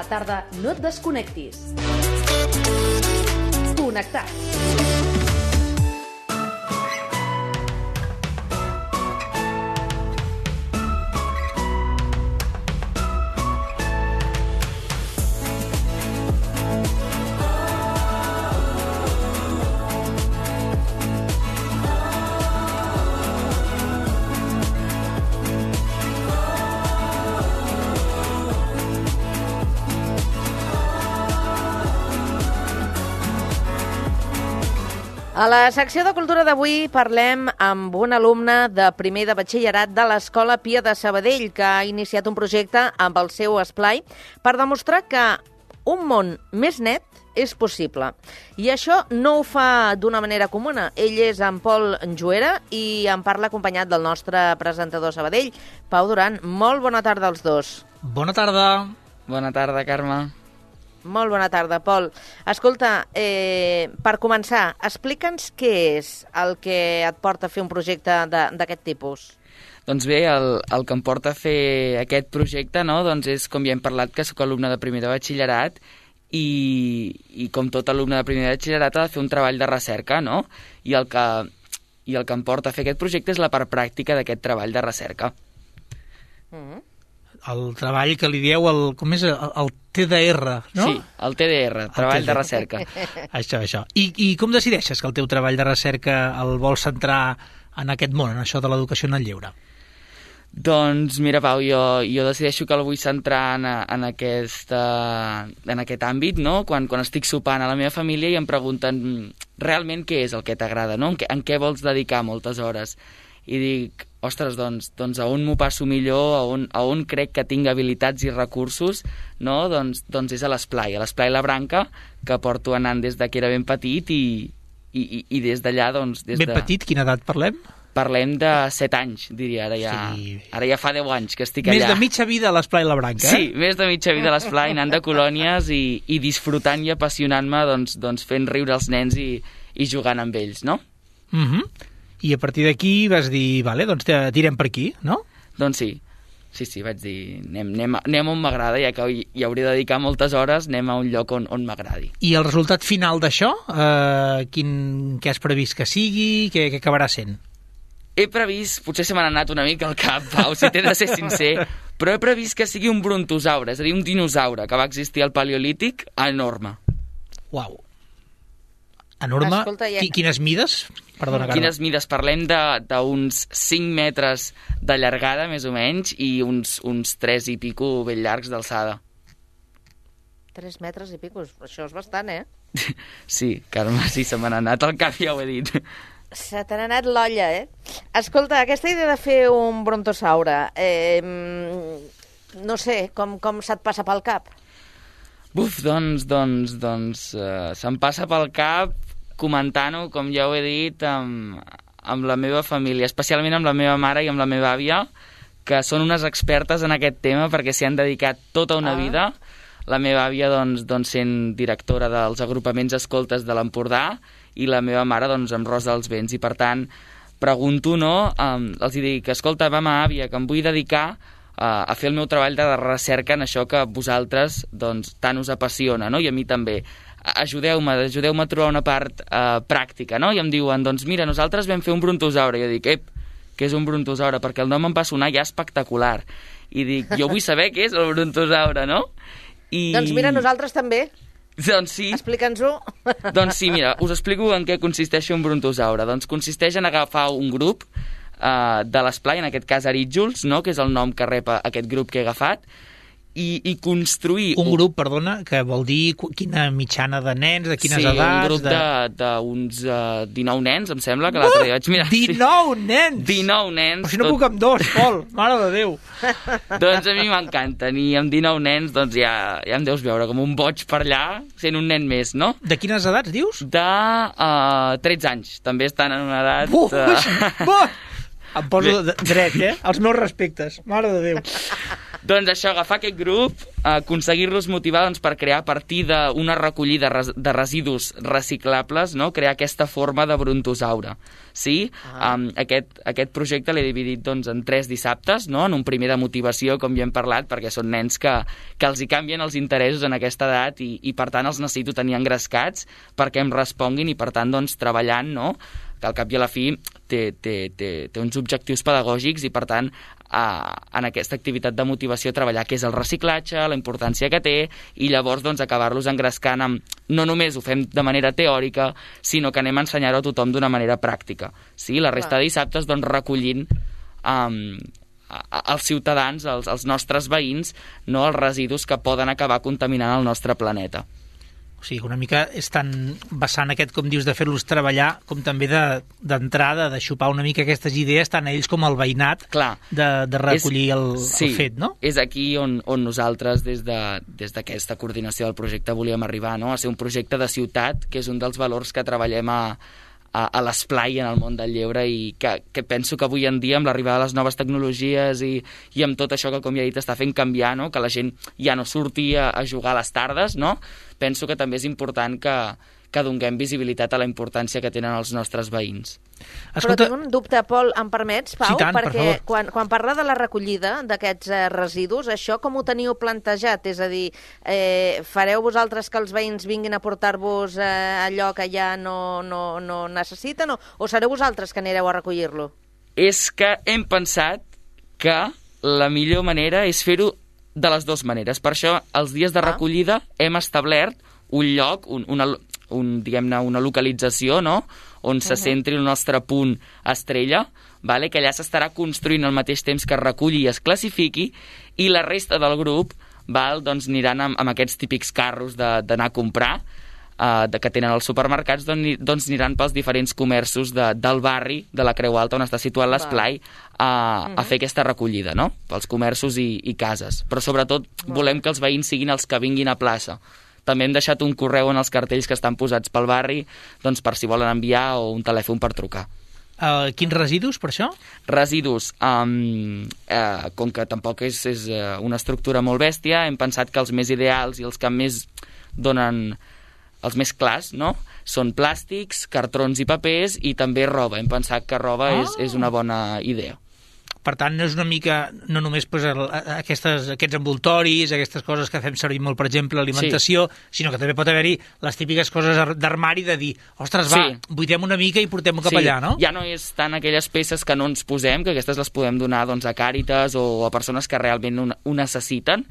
tarda no et desconnectis. Connectats. A la secció de cultura d'avui parlem amb un alumne de primer de batxillerat de l'Escola Pia de Sabadell, que ha iniciat un projecte amb el seu esplai per demostrar que un món més net és possible. I això no ho fa d'una manera comuna. Ell és en Pol Juera i en parla acompanyat del nostre presentador Sabadell, Pau Duran. Molt bona tarda als dos. Bona tarda. Bona tarda, Carme. Molt bona tarda, Pol. Escolta, per començar, explica'ns què és el que et porta a fer un projecte d'aquest tipus. Doncs bé, el que em porta a fer aquest projecte, no? Doncs és, com ja hem parlat, que sóc alumne de primer de batxillerat i com tot alumne de primer de batxillerat ha de fer un treball de recerca, no? I el que em porta a fer aquest projecte és la part pràctica d'aquest treball de recerca. El treball que li dieu, com és el TDR, no? Sí, el TDR, treball de recerca. Això. I com decideixes que el teu treball de recerca el vols centrar en aquest món, en això de l'educació en el lleure? Doncs mira, Pau, jo decideixo que el vull centrar en aquest àmbit, no? Quan estic sopant a la meva família i em pregunten realment què és el que t'agrada, no? En què vols dedicar moltes hores? I dic, ostres, doncs a on m'ho passo millor, a on crec que tinc habilitats i recursos, no? Doncs és a l'Esplai La Branca, que porto anant des que era ben petit i des d'allà, doncs... Ben petit, quina edat parlem? Parlem de 7 anys, diria, ara ja fa 10 anys que estic allà. Més de mitja vida a l'Esplai La Branca, Sí, més de mitja vida a l'Esplai, anant de colònies i disfrutant i apassionant-me doncs fent riure els nens i jugant amb ells, no? I a partir d'aquí vas dir, vale, doncs tirem per aquí, no? Doncs sí, vaig dir, anem on m'agrada, ja que hi hauré de dedicar moltes hores, anem a un lloc on m'agradi. I el resultat final d'això, què has previst que sigui, què acabarà sent? He previst, potser se m'ha anat una mica al cap, Pau, si t'he de ser sincer, però he previst que sigui un brontosaure, és a dir, un dinosaure que va existir al Paleolític enorme. Uau. Enorme. Escolta, Quines mides? Perdona, Carme. Quines mides? Parlem d'uns 5 metres de llargada, més o menys, i uns 3 i pico ben llargs d'alçada. 3 metres i pico, això és bastant, eh? Sí, Carme, sí, se m'ha anat al cap, ja ho he dit. Se t'ha anat l'olla, eh? Escolta, aquesta idea de fer un brontosaure, no sé, com se't passa pel cap? Buf, doncs se'm passa pel cap comentant-ho, com ja ho he dit, amb la meva família, especialment amb la meva mare i amb la meva àvia, que són unes expertes en aquest tema perquè s'hi han dedicat tota una vida. La meva àvia, doncs sent directora dels agrupaments escoltes de l'Empordà i la meva mare, doncs, amb Rosa dels Vents. I, per tant, pregunto, no? Els dic, escolta, mama, àvia, que em vull dedicar a fer el meu treball de recerca en això que a vosaltres, doncs, tant us apassiona, no? I a mi també. Ajudeu-me a trobar una part pràctica, no? I em diuen, doncs mira, nosaltres vam fer un brontosaure. I jo dic, què és un brontosaure? Perquè el nom em va sonar ja espectacular. I dic, jo vull saber què és el brontosaure, no? Doncs mira, nosaltres també. Doncs sí. Explica'ns-ho. Doncs sí, mira, us explico en què consisteix un brontosaure. Doncs consisteix en agafar un grup de l'Esplai, en aquest cas Arítjols, no? Que és el nom que rep aquest grup que he agafat, i construir... Un grup, perdona, que vol dir quina mitjana de nens, de quines edats... Sí, un grup d'uns 19 nens, em sembla, que l'altre dia vaig mirar. 19 nens! 19 nens! Però si no puc amb 2, Pol, mare de Déu! Doncs a mi m'encanten, i amb 19 nens doncs ja em deus veure com un boig per allà, sent un nen més, no? De quines edats, dius? De 13 anys, també estan en una edat... Em poso dret, Els meus respectes, mare de Déu. Doncs això, agafar aquest grup, aconseguir-los motivar per crear a partir d'una recollida de residus reciclables, no? Crear aquesta forma de brontosaure. Sí? Aquest projecte l'he dividit en 3 dissabtes, no? En un primer de motivació, com ja hem parlat, perquè són nens que els hi canvien els interessos en aquesta edat i per tant els necessito tenir engrescats perquè em responguin i per tant treballant, no? Que al cap i a la fi té uns objectius pedagògics i per tant en aquesta activitat de motivació treballar què és el reciclatge, la importància que té i llavors acabar-los engrescant amb no només ho fem de manera teòrica sinó que anem a ensenyar-ho a tothom d'una manera pràctica. Sí? La resta de dissabtes recollint als ciutadans, als nostres veïns, no, els residus que poden acabar contaminant el nostre planeta. O sigui, una mica estan vessant aquest, com dius, de fer-los treballar, com també d'entrada, de xupar una mica aquestes idees, tant ells com el veïnat, de recollir el fet, no? És aquí on nosaltres, des d'aquesta coordinació del projecte, volíem arribar, no? A ser un projecte de ciutat, que és un dels valors que treballem a l'esplai en el món del lleure i que penso que avui en dia amb l'arribada de les noves tecnologies i amb tot això que, com ja he dit, està fent canviar, no? Que la gent ja no surti a jugar a les tardes, no? Penso que també és important que donem visibilitat a la importància que tenen els nostres veïns. Però tinc un dubte, Pol, em permets, Pau? Sí, tant, perquè quan parla de la recollida d'aquests residus, això com ho teniu plantejat? És a dir, fareu vosaltres que els veïns vinguin a portar-vos allò que ja no necessiten o sereu vosaltres que anireu a recollir-lo? És que hem pensat que la millor manera és fer-ho de les dues maneres. Per això, els dies de recollida hem establert un lloc, diguem-ne, una localització, no?, on se centri el nostre punt estrella, vale? Que allà s'estarà construint al mateix temps que es reculli i es classifiqui, i la resta del grup aniran amb aquests típics carros d'anar a comprar, que tenen els supermercats, doncs aniran pels diferents comerços del barri de la Creu Alta, on està situat l'esplai, a fer aquesta recollida, no?, pels comerços i cases. Però sobretot volem que els veïns siguin els que vinguin a plaça. També hem deixat un correu en els cartells que estan posats pel barri, doncs per si volen enviar o un telèfon per trucar. Quins residus, per això? Residus, com que tampoc és una estructura molt bèstia, hem pensat que els més ideals i els que més donen els més clars, no?, són plàstics, cartrons i papers i també roba. Hem pensat que roba és una bona idea. Per tant, no és una mica, no només aquests envoltoris, aquestes coses que fem servir molt, per exemple, alimentació, sinó que també pot haver-hi les típiques coses d'armari de dir, ostres, buidem una mica i portem-ho cap allà, no? Ja no és tant aquelles peces que no ens posem, que aquestes les podem donar a Càritas o a persones que realment ho necessiten,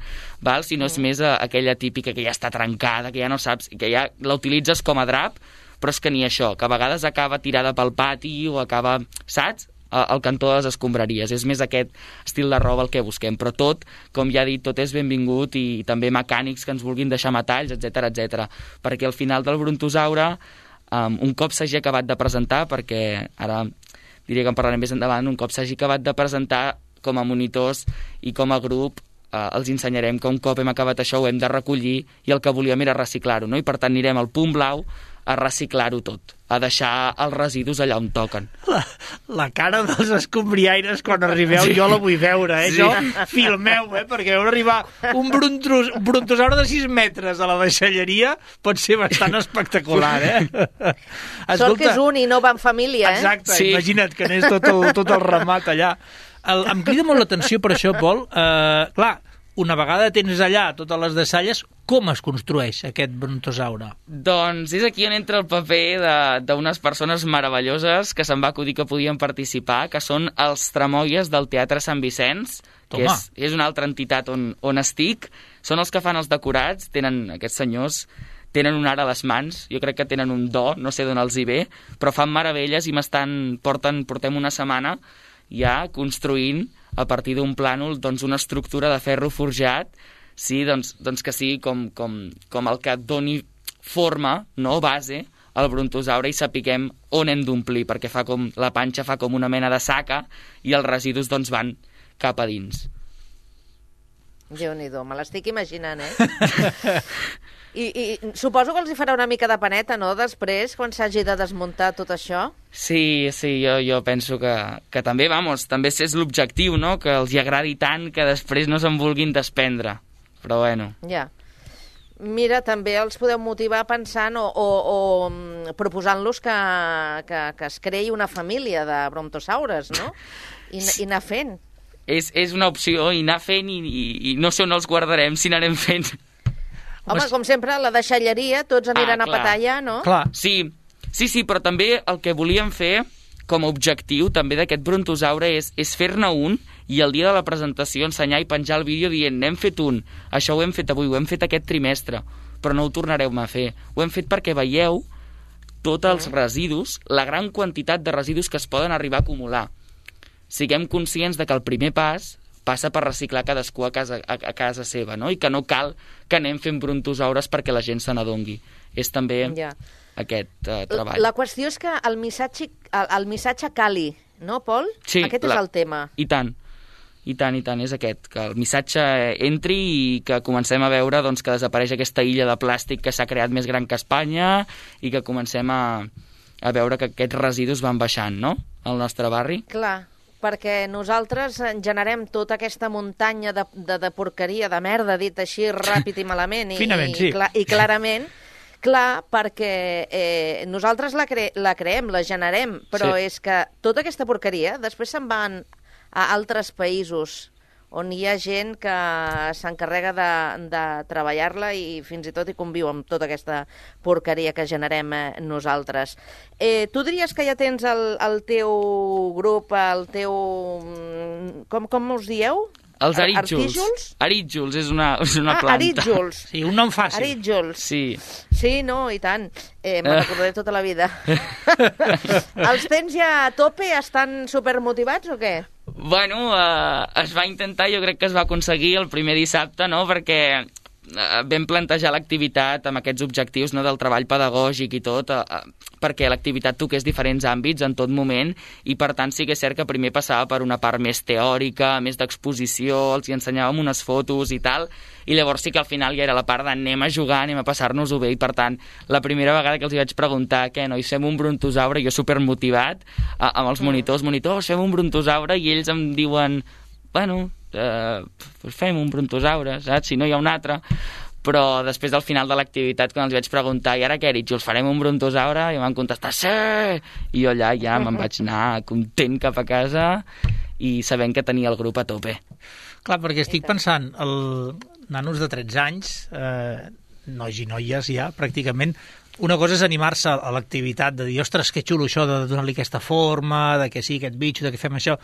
sinó és més aquella típica que ja està trencada, que ja no saps, que ja la utilitzes com a drap, però és que ni això, que a vegades acaba tirada pel pati o acaba, saps?, al cantó de les escombraries. És més aquest estil de roba el que busquem, però tot, com ja he dit, tot és benvingut i també mecànics que ens vulguin deixar metalls, etc, perquè al final del brontosaure, un cop s'hagi acabat de presentar, perquè ara diria que en parlarem més endavant, un cop s'hagi acabat de presentar com a monitors i com a grup, els ensenyarem que un cop hem acabat això ho hem de recollir i el que volíem era reciclar-ho, no? I per tant anirem al punt blau a reciclar-ho tot, a deixar els residus allà on toquen. La cara dels escombriaires quan arribeu, jo la vull veure, Sí. Jo filmeu, perquè veure arribar un brontosaure de 6 metres a la deixalleria pot ser bastant espectacular, Sort que és un i no va en família, Exacte, imagina't que n'és tot el ramat allà. Em crida molt l'atenció per això, Pol. Clar, una vegada tens allà totes les deixalles, com es construeix aquest brontosaure? Doncs és aquí on entra el paper d'unes persones meravelloses que se'm va acudir que podien participar, que són els tramoies del Teatre Sant Vicenç, que és una altra entitat on estic. Són els que fan els decorats, aquests senyors tenen un art a les mans, jo crec que tenen un do, no sé d'on els hi ve, però fan meravelles i portem una setmana ja construint a partir d'un plànol una estructura de ferro forjat, sí, doncs que sigui com el que doni forma, no, base al brontosaure i sapiguem on hem d'omplir, perquè la panxa fa com una mena de saca i els residus van cap a dins. Déu-n'hi-do, me l'estic imaginant, I suposo que els hi farà una mica de paneta, no?, després, quan s'hagi de desmuntar tot això? Sí, jo penso que també, també és l'objectiu, no?, que els hi agradi tant que després no se'n vulguin desprendre. Però bueno. Ja. Mira, també els podeu motivar pensant o proposant-los que es creï una família de brontosaures, no? I anar fent. És una opció, i anar fent, i no sé on els guardarem si n'anem fent. Home, com sempre, la deixalleria, tots aniran a petar allà, no? Clar. Sí, però també el que volíem fer com a objectiu també d'aquest brontosaure és fer-ne un i el dia de la presentació ensenyar i penjar el vídeo dient n'hem fet un, això ho hem fet avui, ho hem fet aquest trimestre, però no ho tornarem a fer. Ho hem fet perquè veieu tots els residus, la gran quantitat de residus que es poden arribar a acumular. Siguem conscients de que el primer pas passa per reciclar cadascú a casa seva, no? I que no cal que anem fent brontosaures perquè la gent se n'adongui. És també aquest treball. La qüestió és que el missatge cali, no, Pol? Sí, aquest és el tema. I tant, és aquest, que el missatge entri i que comencem a veure doncs, que desapareix aquesta illa de plàstic que s'ha creat més gran que Espanya i que comencem a veure que aquests residus van baixant, no?, al nostre barri. Clar, perquè nosaltres generem tota aquesta muntanya de porqueria, de merda, dit així ràpid i malament. Finament, sí. I clarament, clar, perquè nosaltres la creem, la generem, però és que tota aquesta porqueria després se'n van a altres països on hi ha gent que s'encarrega de treballar-la i fins i tot hi conviu amb tota aquesta porqueria que generem nosaltres. Tu diries que ja tens el teu grup, el teu... Com us dieu? Els arítjols. Arítjols és una planta. Arítjols. Sí, un nom fàcil. Arítjols. Sí. Sí, no, i tant. Me recordaré tota la vida. Els tens ja a tope? Estan supermotivats o què? Bueno, es va intentar, jo crec que es va aconseguir el primer dissabte, no?, perquè vam plantejar l'activitat amb aquests objectius, no?, del treball pedagògic i tot, perquè l'activitat toqués diferents àmbits en tot moment i, per tant, sí que és cert que primer passava per una part més teòrica, més d'exposició, els hi ensenyàvem unes fotos i tal, i llavors sí que al final ja era la part d'anem a jugar, anem a passar-nos-ho bé, i per tant, la primera vegada que els hi vaig preguntar què, nois, fem un brontosaure, jo supermotivat, amb els monitors, fem un brontosaure, i ells em diuen, bueno, fem un brontosaure, saps? Si no hi ha un altre. Però després, al final de l'activitat, quan els vaig preguntar, i ara què, Arítjols, farem un brontosaure? I em van contestar, sí! I jo allà ja me'n vaig anar content cap a casa i sabent que tenia el grup a tope. Clar, perquè estic pensant, nanos de 13 anys, nois i noies ja, pràcticament, una cosa és animar-se a l'activitat, de dir, ostres, que xulo això de donar-li aquesta forma, de que sí, aquest bitxo, de que fem això.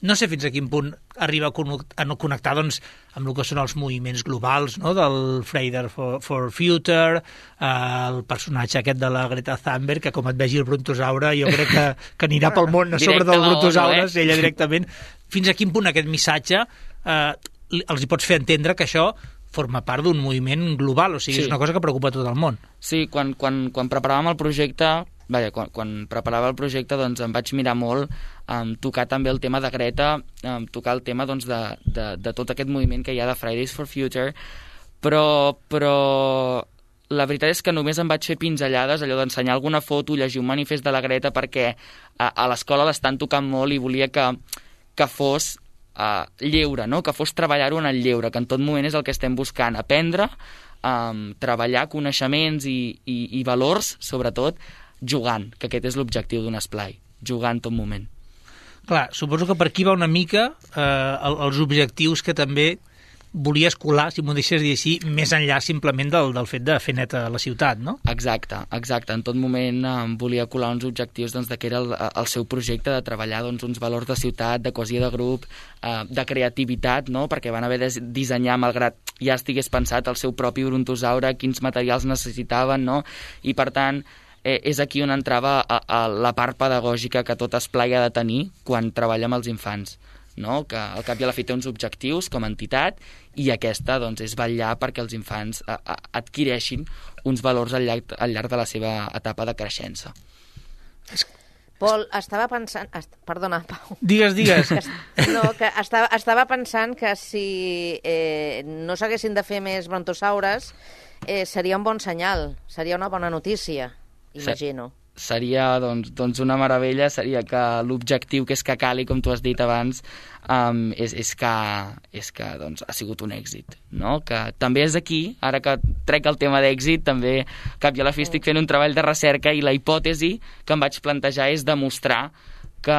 No sé fins a quin punt arriba a no connectar doncs, amb el que són els moviments globals, no?, del Friday for Future, el personatge aquest de la Greta Thunberg, que com et vegi el brontosaure, jo crec que anirà pel món a sobre dels brontosaures, ella directament. Fins a quin punt aquest missatge els hi pots fer entendre que això forma part d'un moviment global, o sigui, és una cosa que preocupa tot el món. Sí, quan preparàvem el projecte, quan preparava el projecte, doncs em vaig mirar molt tocar també el tema de Greta, tocar el tema doncs, de tot aquest moviment que hi ha de Fridays for Future, però la veritat és que només em vaig fer pinzellades, allò d'ensenyar alguna foto, llegir un manifest de la Greta, perquè a l'escola l'estan tocant molt i volia que fos lleure, no?, que fos treballar-ho en el lleure, que en tot moment és el que estem buscant, aprendre, treballar coneixements i valors, sobretot, jugant, que aquest és l'objectiu d'un esplai, jugar en tot moment. Clar, suposo que per aquí va una mica els objectius que també volies colar, si m'ho deixes dir així, més enllà simplement del fet de fer neta la ciutat, no? Exacte. En tot moment volia colar uns objectius doncs, que era el seu projecte de treballar doncs, uns valors de ciutat, de cohesió de grup, de creativitat, no?, perquè van haver de dissenyar, malgrat ja estigués pensat el seu propi brontosaure, quins materials necessitaven, no?, i per tant és aquí on entrava a la part pedagògica que tot esplai ha de tenir quan treballa amb els infants, no?, que al cap i a la fi té uns objectius com a entitat i aquesta doncs, és vetllar perquè els infants adquireixin uns valors al llarg de la seva etapa de creixença. Pol, estava pensant... Perdona, Pau. Digues. Que estava pensant que si no s'haguessin de fer més brontosaures seria un bon senyal, seria una bona notícia, imagino. Seria doncs una meravella, seria que l'objectiu que és que cali, com tu has dit abans, és que doncs, ha sigut un èxit, no? Que també és aquí, ara que trec el tema d'èxit, també cap i a la fi estic fent un treball de recerca i la hipòtesi que em vaig plantejar és demostrar que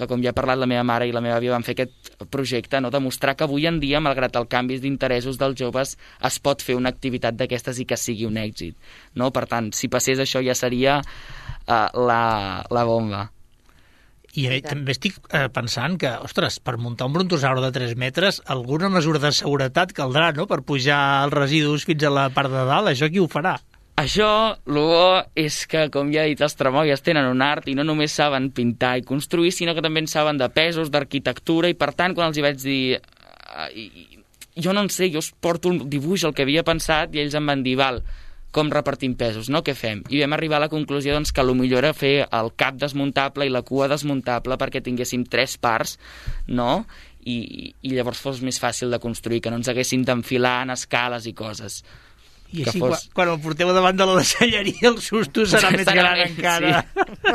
com ja ha parlat la meva mare i la meva àvia van fer aquest projecte, no? Demostrar que avui en dia, malgrat el canvi d'interessos dels joves, es pot fer una activitat d'aquestes i que sigui un èxit, no? Per tant, si passés això ja seria la bomba. I també estic pensant que, ostres, per muntar un brontosaure de 3 metres, alguna mesura de seguretat caldrà, no?, per pujar els residus fins a la part de dalt. Això qui ho farà? Això, el bo és que, com ja he dit, els tramoies tenen un art i no només saben pintar i construir, sinó que també en saben de pesos, d'arquitectura, i per tant, quan els hi vaig dir jo no en sé, jo us porto un dibuix, el que havia pensat, i ells em van dir, val, com repartim pesos, no? Què fem? I vam arribar a la conclusió doncs, que potser era fer el cap desmuntable i la cua desmuntable perquè tinguéssim 3 parts, no? I llavors fos més fàcil de construir, que no ens haguéssim d'enfilar en escales i coses. I així, quan el porteu davant de la deixalleria, el susto serà més gran encara. Sí.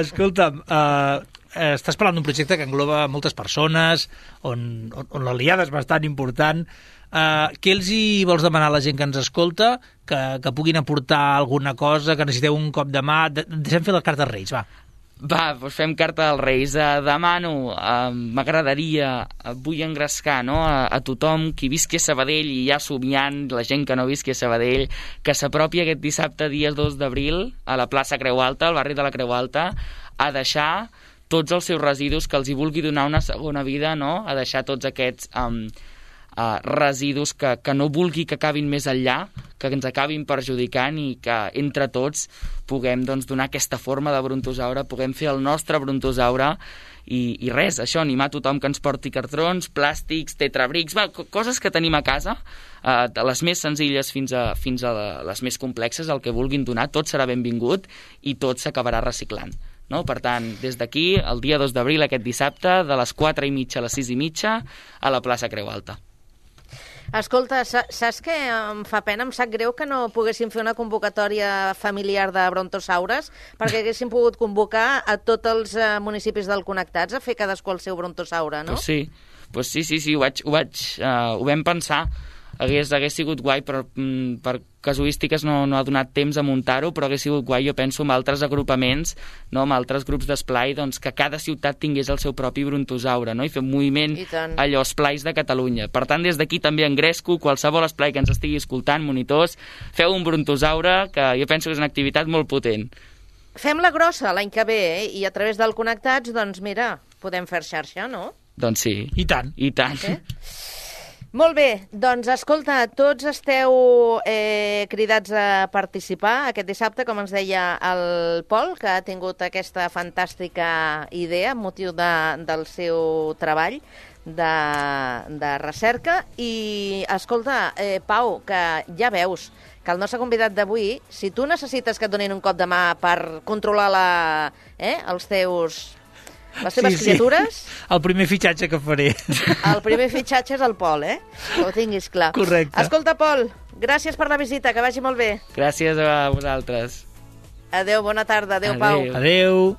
Escolta'm, estàs parlant d'un projecte que engloba moltes persones, on l'aliada és bastant important. Què els hi vols demanar a la gent que ens escolta? Que puguin aportar alguna cosa, que necessiteu un cop de mà? Deixem fer la carta als Reis, va. Va, doncs fem carta als Reis. Demano, m'agradaria, vull engrescar, no?, a tothom qui visqui a Sabadell i ja somiant, la gent que no visqui a Sabadell, que s'apropi aquest dissabte, dia 2 d'abril, a la plaça Creu Alta, al barri de la Creu Alta, a deixar tots els seus residus, que els hi vulgui donar una segona vida, no?, a deixar tots aquests residus que no vulgui que acabin més enllà, que ens acabin perjudicant, i que entre tots puguem doncs, donar aquesta forma de brontosaure, puguem fer el nostre brontosaure i res, això, animar tothom que ens porti cartrons, plàstics, tetrabrics, coses que tenim a casa, de les més senzilles fins a les més complexes, el que vulguin donar, tot serà benvingut i tot s'acabarà reciclant. No? Per tant, des d'aquí, el dia 2 d'abril, aquest dissabte, de les 4:30 a les 6:30, a la plaça Creu Alta. Escolta, saps què em fa pena? Em sap greu que no poguéssim fer una convocatòria familiar de brontosaures, perquè haguéssim pogut convocar a tots els municipis del Connectats a fer cadascú el seu brontosaure, no? Pues sí, ho vam pensar. Hagués sigut guai, però per casuístiques no ha donat temps a muntar-ho, però hagués sigut guai, jo penso, amb altres agrupaments, no, amb altres grups d'esplai, doncs, que cada ciutat tingués el seu propi brontosaure, no? I fer un moviment allò esplais de Catalunya. Per tant, des d'aquí també engresco qualsevol esplai que ens estigui escoltant, monitors, feu un brontosaure, que jo penso que és una activitat molt potent. Fem-la grossa l'any que ve, i a través del Connectats, doncs mira, podem fer xarxa, no? Doncs sí. I tant. I tant. Molt bé, doncs escolta, tots esteu cridats a participar aquest dissabte, com ens deia el Pol, que ha tingut aquesta fantàstica idea amb motiu del seu treball de recerca. I escolta, Pau, que ja veus que el nostre convidat d'avui, si tu necessites que et donin un cop de mà per controlar les teves criatures... El primer fitxatge que faré. El primer fitxatge és el Pol, que ho tinguis clar. Correcte. Escolta, Pol, gràcies per la visita, que vagi molt bé. Gràcies a vosaltres. Adéu, bona tarda. Adéu, Pau. Adéu.